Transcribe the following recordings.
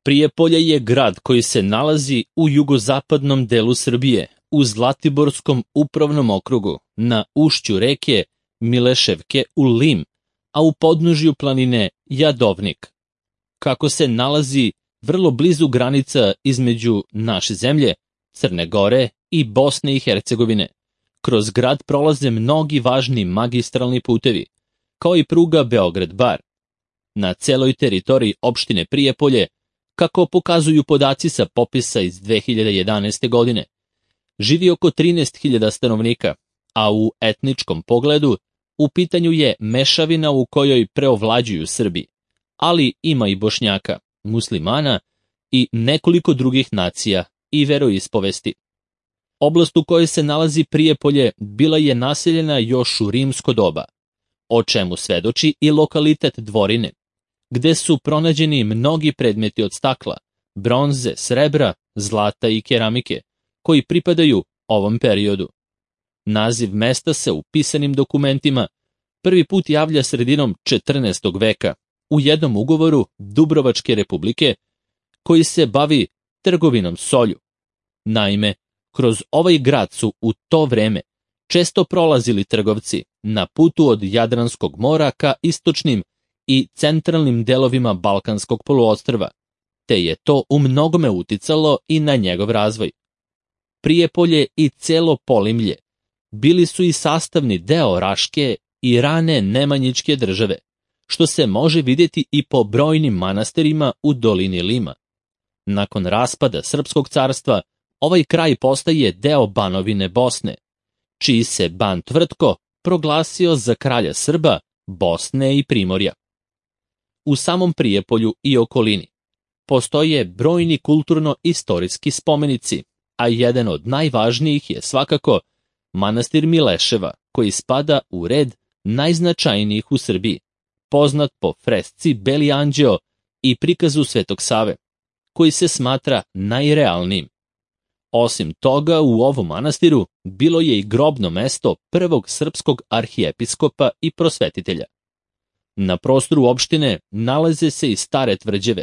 Prijepolje je grad koji se nalazi u jugozapadnom delu Srbije, u Zlatiborskom upravnom okrugu, na ušću reke Mileševke u Lim, a u podnožju planine Jadovnik. Kako se nalazi vrlo blizu granica između naše zemlje, Crne Gore i Bosne i Hercegovine, kroz grad prolaze mnogi važni magistralni putevi, kao i pruga Beograd-Bar. Na celoj teritoriji opštine Prijepolje, kako pokazuju podaci sa popisa iz 2011. godine, živi oko 13.000 stanovnika, a u etničkom pogledu u pitanju je mešavina u kojoj preovlađuju Srbi, ali ima i Bošnjaka, muslimana i nekoliko drugih nacija i veroispovesti. Oblast u kojoj se nalazi Prijepolje bila je naseljena još u rimsko doba, o čemu svedoči i lokalitet Dvorine, gde su pronađeni mnogi predmeti od stakla, bronze, srebra, zlata i keramike, koji pripadaju ovom periodu. Naziv mesta se u pisanim dokumentima prvi put javlja sredinom 14. veka u jednom ugovoru Dubrovačke republike koji se bavi trgovinom solju. Naime, kroz ovaj grad su u to vreme često prolazili trgovci na putu od Jadranskog mora ka istočnim i centralnim delovima Balkanskog poluostrva, te je to u mnogome uticalo i na njegov razvoj. Prijepolje i celo Polimlje bili su i sastavni deo Raške i rane Nemanjićke države, što se može vidjeti i po brojnim manastirima u dolini Lima. Nakon raspada Srpskog carstva, ovaj kraj postaje deo Banovine Bosne, čiji se ban Tvrtko proglasio za kralja Srba, Bosne i Primorja. U samom Prijepolju i okolini postoje brojni kulturno-istorijski spomenici, a jedan od najvažnijih je svakako manastir Mileševa, koji spada u red najznačajnijih u Srbiji, poznat po fresci Beli anđeo i prikazu Svetog Save, koji se smatra najrealnijim. Osim toga, u ovom manastiru bilo je i grobno mesto prvog srpskog arhijepiskopa i prosvetitelja. Na prostoru opštine nalaze se i stare tvrđave,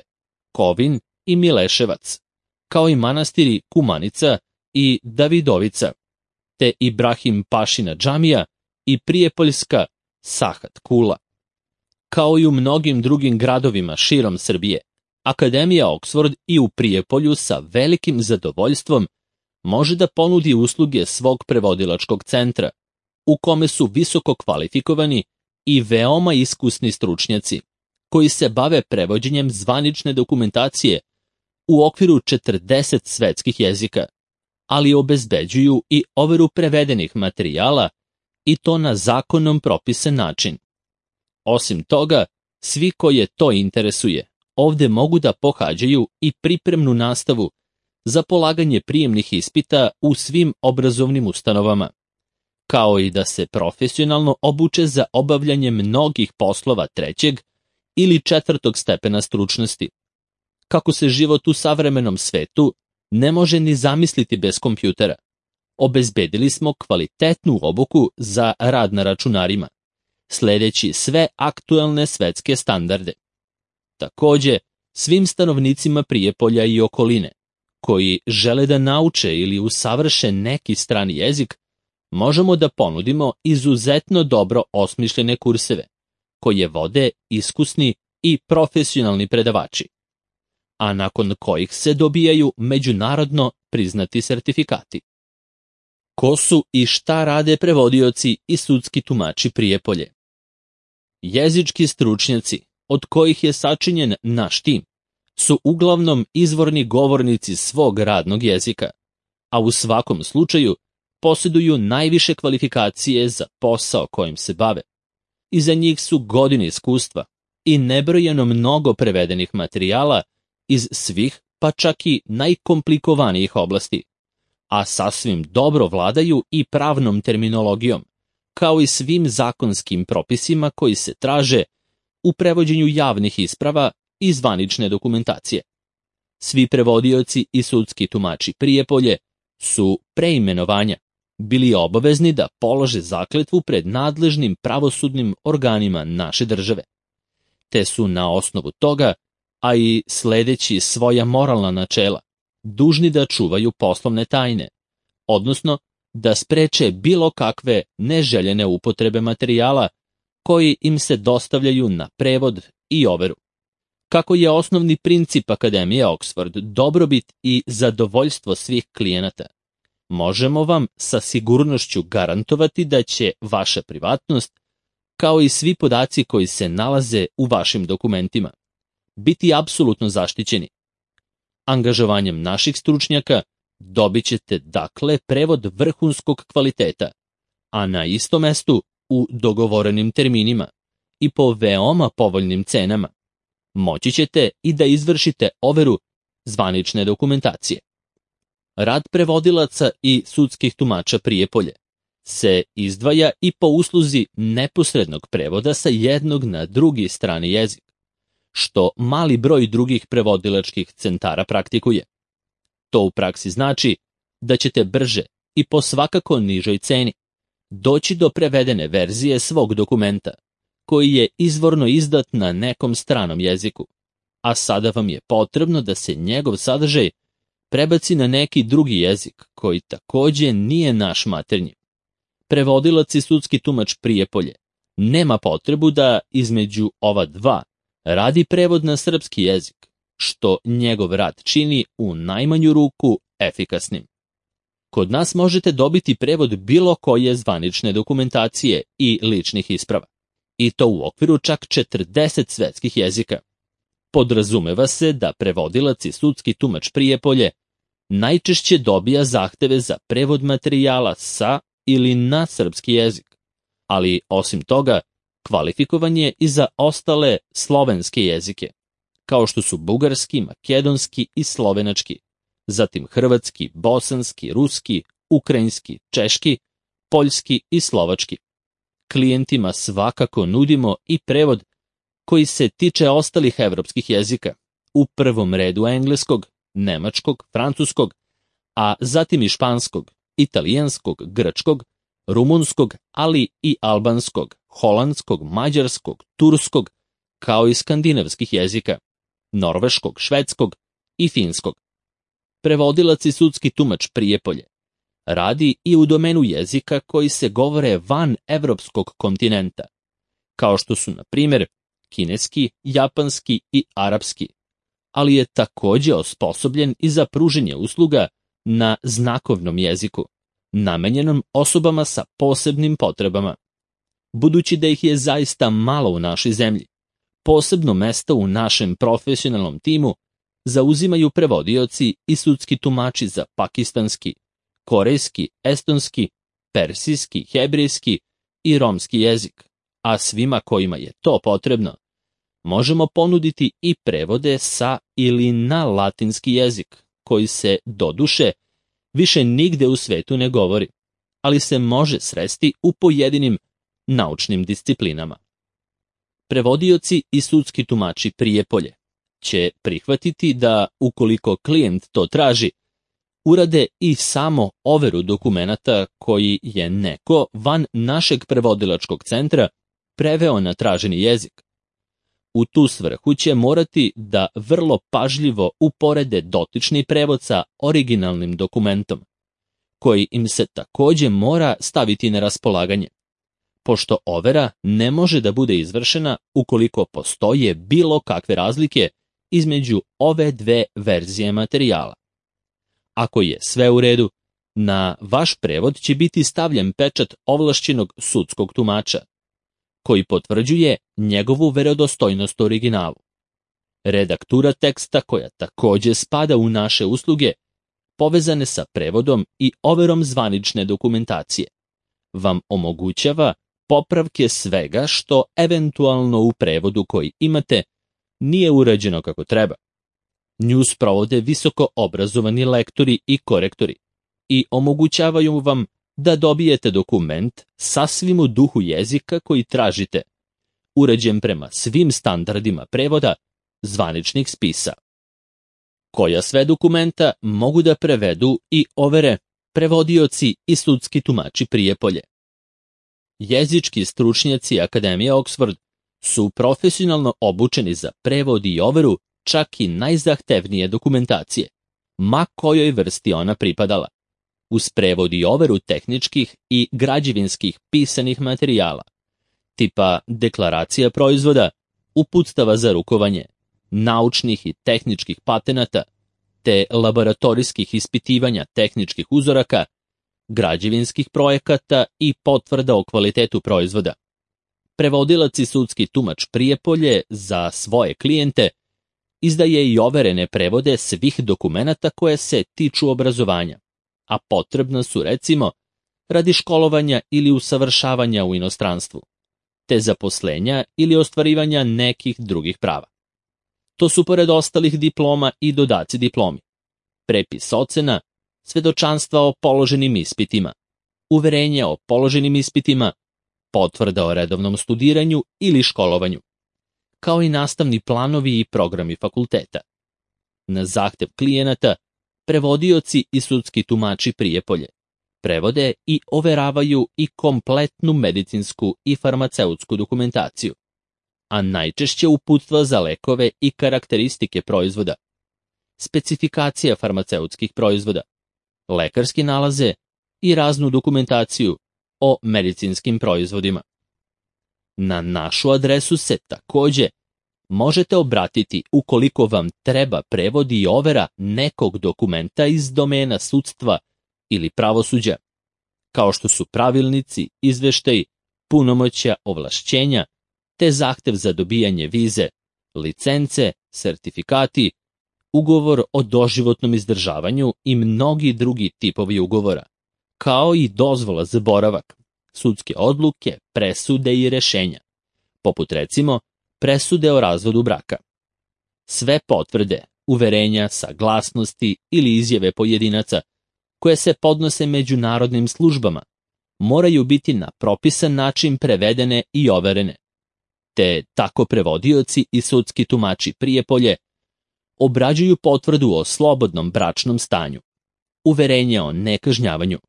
Kovin i Mileševac, kao i manastiri Kumanica i Davidovica, te Ibrahim Pašina džamija i Prijepoljska Sahat Kula. Kao i u mnogim drugim gradovima širom Srbije, Akademija Oksford i u Prijepolju sa velikim zadovoljstvom može da ponudi usluge svog prevodilačkog centra, u kome su visoko kvalifikovani i veoma iskusni stručnjaci, koji se bave prevođenjem zvanične dokumentacije u okviru 40 svetskih jezika, ali obezbeđuju i overu prevedenih materijala i to na zakonom propisan način. Osim toga, svi koje to interesuje, ovde mogu da pohađaju i pripremnu nastavu za polaganje prijemnih ispita u svim obrazovnim ustanovama, kao i da se profesionalno obuče za obavljanje mnogih poslova 3. ili 4. stepena stručnosti. Kako se život u savremenom svetu ne može ni zamisliti bez kompjutera, obezbedili smo kvalitetnu obuku za rad na računarima, sledeći sve aktuelne svetske standarde. Takođe, svim stanovnicima Prijepolja i okoline, koji žele da nauče ili usavrše neki strani jezik, možemo da ponudimo izuzetno dobro osmišljene kurseve, koje vode iskusni i profesionalni predavači, a nakon kojih se dobijaju međunarodno priznati sertifikati. Ko su i šta rade prevodioci i sudski tumači Prijepolje? Jezički stručnjaci, od kojih je sačinjen naš tim, su uglavnom izvorni govornici svog radnog jezika, a u svakom slučaju posjeduju najviše kvalifikacije za posao kojim se bave. Iza njih su godine iskustva i nebrojeno mnogo prevedenih materijala iz svih, pa čak i najkomplikovanijih oblasti, a sasvim dobro vladaju i pravnom terminologijom, kao i svim zakonskim propisima koji se traže u prevođenju javnih isprava i zvanične dokumentacije. Svi prevodioci i sudski tumači Prijepolje su pre imenovanja bili obavezni da polože zakletvu pred nadležnim pravosudnim organima naše države, te su na osnovu toga a i sledeći svoja moralna načela, dužni da čuvaju poslovne tajne, odnosno da spreče bilo kakve neželjene upotrebe materijala koji im se dostavljaju na prevod i overu. Kako je osnovni princip Akademije Oxford dobrobit i zadovoljstvo svih klijenata, možemo vam sa sigurnošću garantovati da će vaša privatnost, kao i svi podaci koji se nalaze u vašim dokumentima, biti apsolutno zaštićeni. Angažovanjem naših stručnjaka dobit ćete dakle prevod vrhunskog kvaliteta, a na istom mestu u dogovorenim terminima i po veoma povoljnim cenama. Moći ćete i da izvršite overu zvanične dokumentacije. Rad prevodilaca i sudskih tumača Prijepolje se izdvaja i po usluzi neposrednog prevoda sa jednog na drugi strani jezik, što mali broj drugih prevodilačkih centara praktikuje. To u praksi znači da ćete brže i po svakako nižoj ceni doći do prevedene verzije svog dokumenta, koji je izvorno izdat na nekom stranom jeziku, a sada vam je potrebno da se njegov sadržaj prebaci na neki drugi jezik, koji takođe nije naš maternji. Prevodilac i sudski tumač Prijepolje nema potrebu da između ova dva radi prevod na srpski jezik, što njegov rad čini u najmanju ruku efikasnim. Kod nas možete dobiti prevod bilo koje zvanične dokumentacije i ličnih isprava, i to u okviru čak 40 svetskih jezika. Podrazumeva se da prevodilac i sudski tumač Prijepolje najčešće dobija zahteve za prevod materijala sa ili na srpski jezik, ali osim toga kvalifikovan je i za ostale slovenske jezike, kao što su bugarski, makedonski i slovenački, zatim hrvatski, bosanski, ruski, ukrajinski, češki, poljski i slovački. Klijentima svakako nudimo i prevod koji se tiče ostalih evropskih jezika, u prvom redu engleskog, nemačkog, francuskog, a zatim i španskog, italijanskog, grčkog, rumunskog, ali i albanskog, holandskog, mađarskog, turskog, kao i skandinavskih jezika, norveškog, švedskog i finskog. Prevodilac i sudski tumač Prijepolje radi i u domenu jezika koji se govore van evropskog kontinenta, kao što su, na primjer, kineski, japanski i arapski, ali je takođe osposobljen i za pruženje usluga na znakovnom jeziku, namenjenom osobama sa posebnim potrebama. Budući da ih je zaista malo u našoj zemlji, posebno mesto u našem profesionalnom timu zauzimaju prevodioci i sudski tumači za pakistanski, korejski, estonski, persijski, hebrejski i romski jezik, a svima kojima je to potrebno, možemo ponuditi i prevode sa ili na latinski jezik, koji se, doduše, više nigde u svetu ne govori, ali se može sresti u pojedinim naučnim disciplinama. Prevodioci i sudski tumači Prijepolje će prihvatiti da, ukoliko klijent to traži, urade i samo overu dokumenata koji je neko van našeg prevodilačkog centra preveo na traženi jezik. U tu svrhu će morati da vrlo pažljivo uporede dotični prevod sa originalnim dokumentom, koji im se takođe mora staviti na raspolaganje, pošto overa ne može da bude izvršena ukoliko postoje bilo kakve razlike između ove dve verzije materijala. Ako je sve u redu, na vaš prevod će biti stavljen pečat ovlašćenog sudskog tumača, koji potvrđuje njegovu verodostojnost originalu. Redaktura teksta, koja takođe spada u naše usluge, povezane sa prevodom i overom zvanične dokumentacije, vam omogućava popravke svega što eventualno u prevodu koji imate nije urađeno kako treba. Nju sprovode visoko obrazovani lektori i korektori i omogućavaju vam da dobijete dokument sasvim u duhu jezika koji tražite, uređen prema svim standardima prevoda zvaničnih spisa. Koja sve dokumenta mogu da prevedu i overe prevodioci i sudski tumači Prijepolje? Jezički stručnjaci Akademije Oxford su profesionalno obučeni za prevod i overu čak i najzahtevnije dokumentacije, ma kojoj vrsti ona pripadala, uz prevod i overu tehničkih i građevinskih pisanih materijala, tipa deklaracija proizvoda, uputstava za rukovanje, naučnih i tehničkih patenata, te laboratorijskih ispitivanja tehničkih uzoraka, građevinskih projekata i potvrda o kvalitetu proizvoda. Prevodilac i sudski tumač Prijepolje za svoje klijente izdaje i overene prevode svih dokumenata koje se tiču obrazovanja, a potrebna su, recimo, radi školovanja ili usavršavanja u inostranstvu, te zaposlenja ili ostvarivanja nekih drugih prava. To su pored ostalih diploma i dodaci diplomi, prepis ocena, svedočanstva o položenim ispitima, uverenje o položenim ispitima, potvrda o redovnom studiranju ili školovanju, kao i nastavni planovi i programi fakulteta. Na zahtev klijenata, prevodioci i sudski tumači Prijepolje prevode i overavaju i kompletnu medicinsku i farmaceutsku dokumentaciju, a najčešće uputstva za lekove i karakteristike proizvoda, specifikacija farmaceutskih proizvoda, lekarski nalaze i raznu dokumentaciju o medicinskim proizvodima. Na našu adresu se takođe možete obratiti ukoliko vam treba prevod i overa nekog dokumenta iz domena sudstva ili pravosuđa, kao što su pravilnici, izveštaji, punomoćja, ovlašćenja, te zahtev za dobijanje vize, licence, sertifikati, ugovor o doživotnom izdržavanju i mnogi drugi tipovi ugovora, kao i dozvola za boravak, sudske odluke, presude i rešenja, poput recimo presude o razvodu braka. Sve potvrde, uverenja, saglasnosti ili izjave pojedinaca koje se podnose međunarodnim službama moraju biti na propisan način prevedene i overene, te tako prevodioci i sudski tumači Prijepolje obrađuju potvrdu o slobodnom bračnom stanju, uverenje o nekažnjavanju,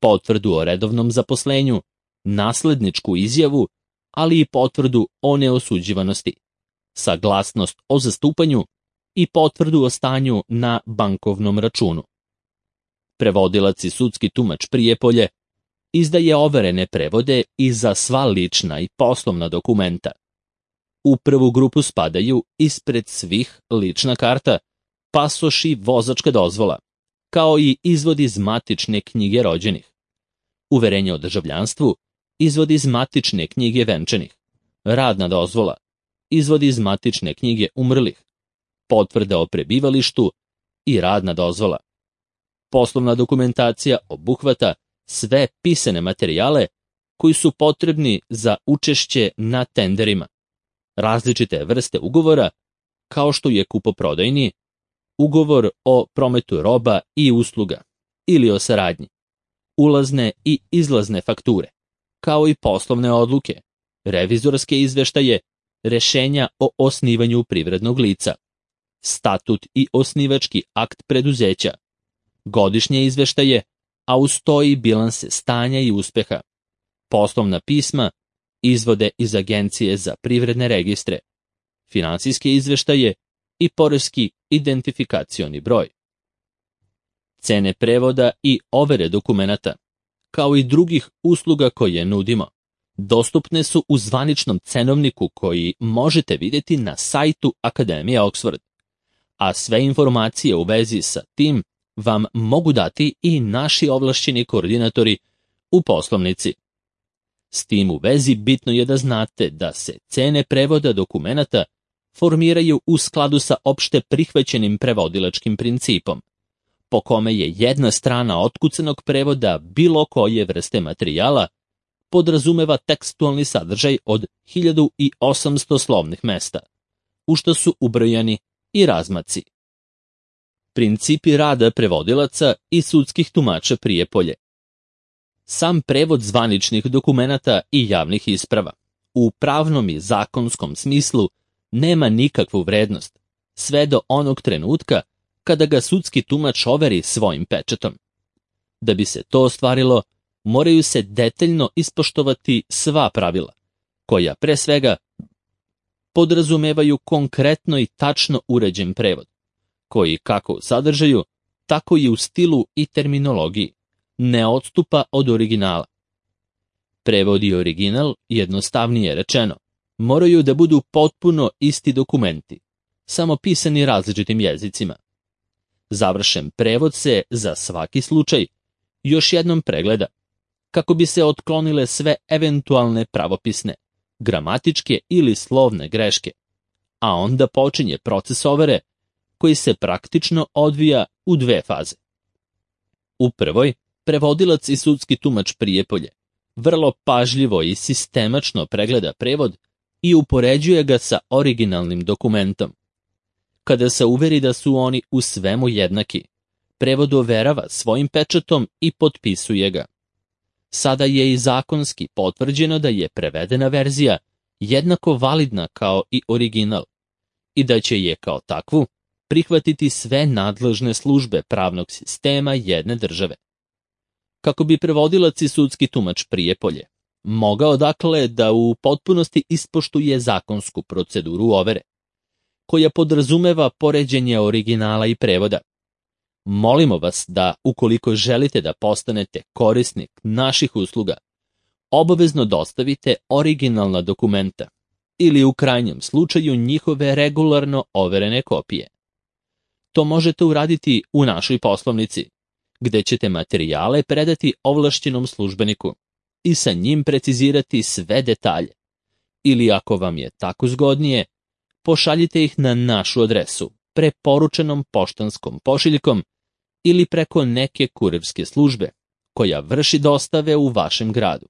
potvrdu o redovnom zaposlenju, nasledničku izjavu, ali i potvrdu o neosuđivanosti, saglasnost o zastupanju i potvrdu o stanju na bankovnom računu. Prevodilac i sudski tumač Prijepolje izdaje overene prevode i za sva lična i poslovna dokumenta. U prvu grupu spadaju ispred svih lična karta, pasoš i vozačka dozvola, kao i izvod iz matične knjige rođenih, uverenje o državljanstvu, izvod iz matične knjige venčanih, radna dozvola, izvod iz matične knjige umrlih, potvrda o prebivalištu i radna dozvola. Poslovna dokumentacija obuhvata sve pisane materijale koji su potrebni za učešće na tenderima, različite vrste ugovora, kao što je kupoprodajni, ugovor o prometu roba i usluga ili o saradnji, ulazne i izlazne fakture, kao i poslovne odluke, revizorske izveštaje, rešenja o osnivanju privrednog lica, statut i osnivački akt preduzeća, godišnje izveštaje, a uz to i bilanse stanja i uspeha, poslovna pisma, izvode iz Agencije za privredne registre, finansijske izveštaje i poreski identifikacioni broj. Cene prevoda i overe dokumenata, kao i drugih usluga koje nudimo, dostupne su u zvaničnom cenovniku koji možete vidjeti na sajtu Akademije Oxford, a sve informacije u vezi sa tim vam mogu dati i naši ovlašćeni koordinatori u poslovnici. S tim u vezi bitno je da znate da se cene prevoda dokumenata formiraju u skladu sa opšte prihvaćenim prevodilačkim principom, po kome je jedna strana otkucanog prevoda bilo koje vrste materijala podrazumeva tekstualni sadržaj od 1800 slovnih mesta, u što su ubrojani i razmaci. Principi rada prevodilaca i sudskih tumača Prijepolje. Sam prevod zvaničnih dokumenata i javnih isprava u pravnom i zakonskom smislu nema nikakvu vrednost, sve do onog trenutka kada ga sudski tumač overi svojim pečatom. Da bi se to ostvarilo, moraju se detaljno ispoštovati sva pravila, koja pre svega podrazumevaju konkretno i tačno uređen prevod, koji kako u sadržaju, tako i u stilu i terminologiji ne odstupa od originala. Prevod i original, jednostavnije rečeno, moraju da budu potpuno isti dokumenti, samo pisani različitim jezicima. Završen prevod se, za svaki slučaj, još jednom pregleda, kako bi se otklonile sve eventualne pravopisne, gramatičke ili slovne greške, a onda počinje proces overe koji se praktično odvija u dve faze. U prvoj, prevodilac i sudski tumač Prijepolje vrlo pažljivo i sistemačno pregleda prevod i upoređuje ga sa originalnim dokumentom. Kada se uveri da su oni u svemu jednaki, prevod overava svojim pečatom i potpisuje ga. Sada je i zakonski potvrđeno da je prevedena verzija jednako validna kao i original i da će je kao takvu prihvatiti sve nadležne službe pravnog sistema jedne države. Kako bi prevodilac i sudski tumač Prijepolje mogao dakle da u potpunosti ispoštuje zakonsku proceduru overe, koja podrazumeva poređenje originala i prevoda, molimo vas da, ukoliko želite da postanete korisnik naših usluga, obavezno dostavite originalna dokumenta ili u krajnjem slučaju njihove regularno overene kopije. To možete uraditi u našoj poslovnici, gde ćete materijale predati ovlašćenom službeniku i sa njim precizirati sve detalje. Ili ako vam je tako zgodnije, pošaljite ih na našu adresu, preporučenom poštanskom pošiljkom ili preko neke kurirske službe, koja vrši dostave u vašem gradu.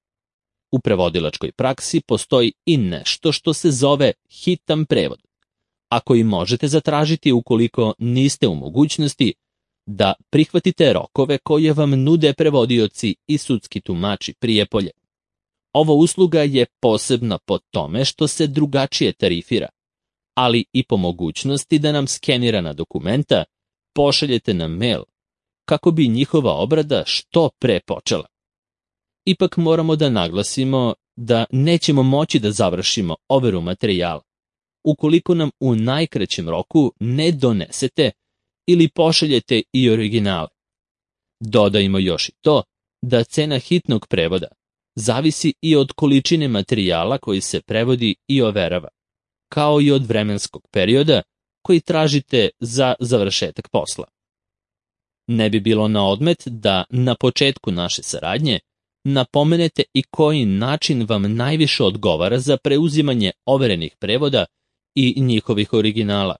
U prevodilačkoj praksi postoji i nešto što se zove hitan prevod, a koji možete zatražiti ukoliko niste u mogućnosti da prihvatite rokove koje vam nude prevodioci i sudski tumači Prijepolje. Ova usluga je posebna po tome što se drugačije tarifira, ali i po mogućnosti da nam skenirana dokumenta pošaljete na mail, kako bi njihova obrada što pre počela. Ipak moramo da naglasimo da nećemo moći da završimo overu materijala, ukoliko nam u najkraćem roku ne donesete ili pošaljete i originale. Dodajmo još i to da cena hitnog prevoda zavisi i od količine materijala koji se prevodi i overava, kao i od vremenskog perioda koji tražite za završetak posla. Ne bi bilo na odmet da na početku naše saradnje napomenete i koji način vam najviše odgovara za preuzimanje overenih prevoda i njihovih originala,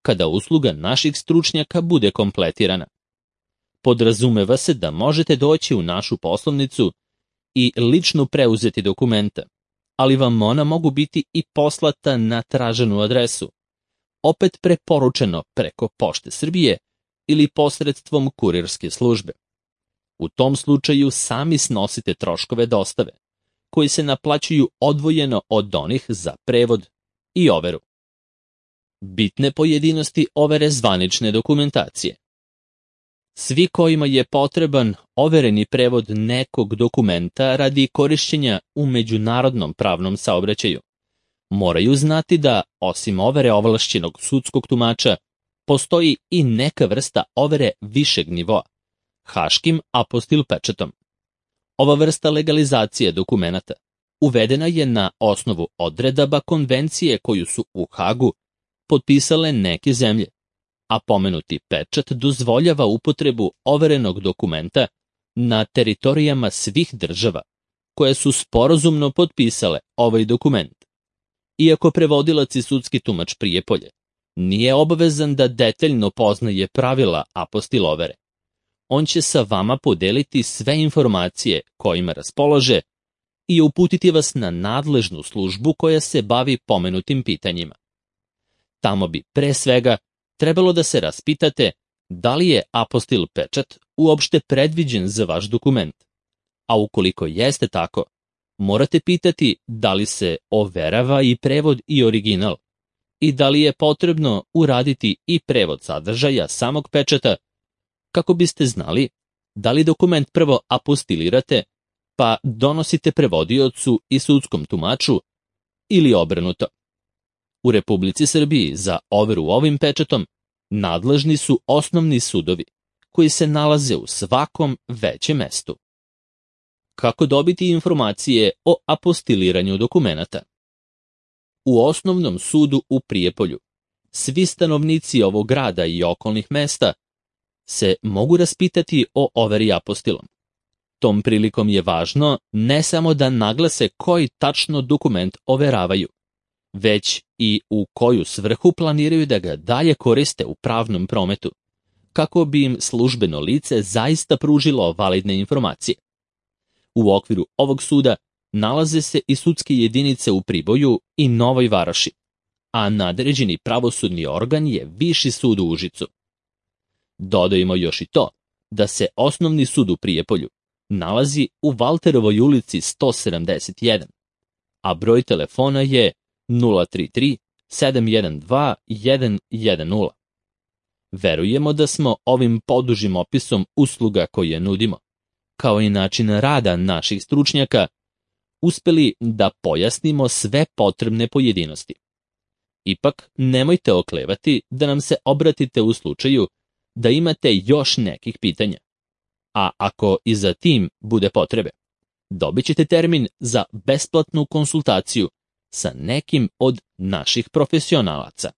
kada usluga naših stručnjaka bude kompletirana. Podrazumeva se da možete doći u našu poslovnicu i lično preuzeti dokumenta, ali vam ona mogu biti i poslata na traženu adresu, opet preporučeno preko Pošte Srbije ili posredstvom kurirske službe. U tom slučaju sami snosite troškove dostave, koji se naplaćuju odvojeno od onih za prevod i overu. Bitne pojedinosti overe zvanične dokumentacije. Svi kojima je potreban overeni prevod nekog dokumenta radi korišćenja u međunarodnom pravnom saobraćaju, moraju znati da, osim overe ovlašćenog sudskog tumača, postoji i neka vrsta overe višeg nivoa, haškim apostil pečatom. Ova vrsta legalizacije dokumenata uvedena je na osnovu odredaba konvencije koju su u Hagu potpisale neke zemlje, a pomenuti pečat dozvoljava upotrebu overenog dokumenta na teritorijama svih država koje su sporazumno potpisale ovaj dokument. Iako prevodilac i sudski tumač Prijepolje nije obavezan da detaljno poznaje pravila apostil overe, on će sa vama podeliti sve informacije kojima raspolaže i uputiti vas na nadležnu službu koja se bavi pomenutim pitanjima. Tamo bi pre svega trebalo da se raspitate da li je apostil pečat uopšte predviđen za vaš dokument, a ukoliko jeste tako, morate pitati da li se overava i prevod i original i da li je potrebno uraditi i prevod sadržaja samog pečata, kako biste znali da li dokument prvo apostilirate pa donosite prevodiocu i sudskom tumaču ili obrnuto. U Republici Srbiji za overu ovim pečatom nadležni su osnovni sudovi, koji se nalaze u svakom većem mestu. Kako dobiti informacije o apostiliranju dokumenata? U Osnovnom sudu u Prijepolju svi stanovnici ovog grada i okolnih mesta se mogu raspitati o overi apostilom. Tom prilikom je važno ne samo da naglase koji tačno dokument overavaju, već i u koju svrhu planiraju da ga dalje koriste u pravnom prometu, kako bi im službeno lice zaista pružilo validne informacije. U okviru ovog suda nalaze se i sudske jedinice u Priboju i Novoj Varoši, a nadređeni pravosudni organ je Viši sud u Užicu. Dodajmo još i to da se Osnovni sud u Prijepolju nalazi u Valterovoj ulici 171, a broj telefona je 033 712 110. Verujemo da smo ovim podužim opisom usluga koje nudimo, kao i način rada naših stručnjaka, uspeli da pojasnimo sve potrebne pojedinosti. Ipak, nemojte oklevati da nam se obratite u slučaju da imate još nekih pitanja. A ako i za tim bude potrebe, dobit ćete termin za besplatnu konsultaciju sa nekim od naših profesionalaca.